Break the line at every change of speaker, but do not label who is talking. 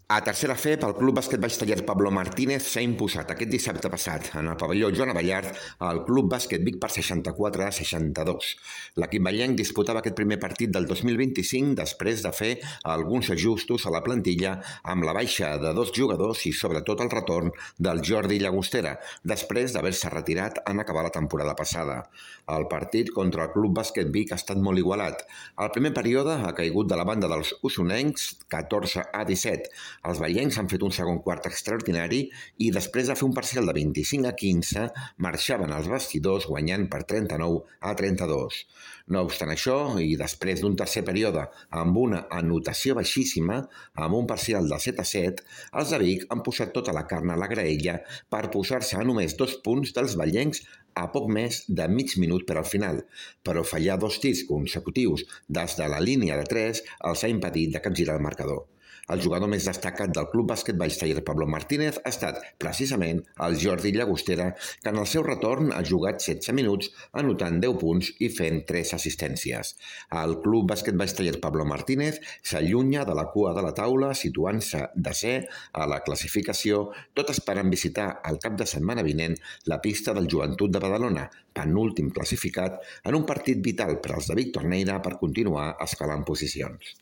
A tercera FEP, el Club Bàsquet Baix Taller Pablo Martínez s'ha imposat aquest dissabte passat en el pavelló Joan Abellart al Club Bàsquet Vic per 64-62. L'equip ballenc disputava aquest primer partit del 2025 després de fer alguns ajustos a la plantilla amb la baixa de 2 jugadors i sobretot el retorn del Jordi Llagostera, després d'haver-se retirat en acabar la temporada passada. El partit contra el Club Bàsquet Vic ha estat molt igualat. El primer període ha caigut de la banda dels usonencs 14-17. Els ballencs han fet un segon quart extraordinari i després de fer un parcial de 25-15 marxaven als vestidors guanyant per 39-32. No obstant això, i després d'un tercer període amb una anotació baixíssima, amb un parcial de 7-7, els de Vic han posat tota la carn a la graella per posar-se a només 2 punts dels ballencs a poc més de mig minut per al final, però fallar 2 tirs consecutius des de la línia de 3 els ha impedit de capgirar el marcador. El jugador més destacat del Club Bàsquet Baix Taller Pablo Martínez ha estat, precisament, el Jordi Llagostera, que en el seu retorn ha jugat 16 minuts, anotant 10 punts i fent 3 assistències. El Club Bàsquet Baix Taller Pablo Martínez s'allunya de la cua de la taula, situant-se desè a la classificació, tot esperant visitar el cap de setmana vinent la pista del Joventut de Badalona, penúltim classificat, en un partit vital per als de Vic Torneira per continuar escalant posicions.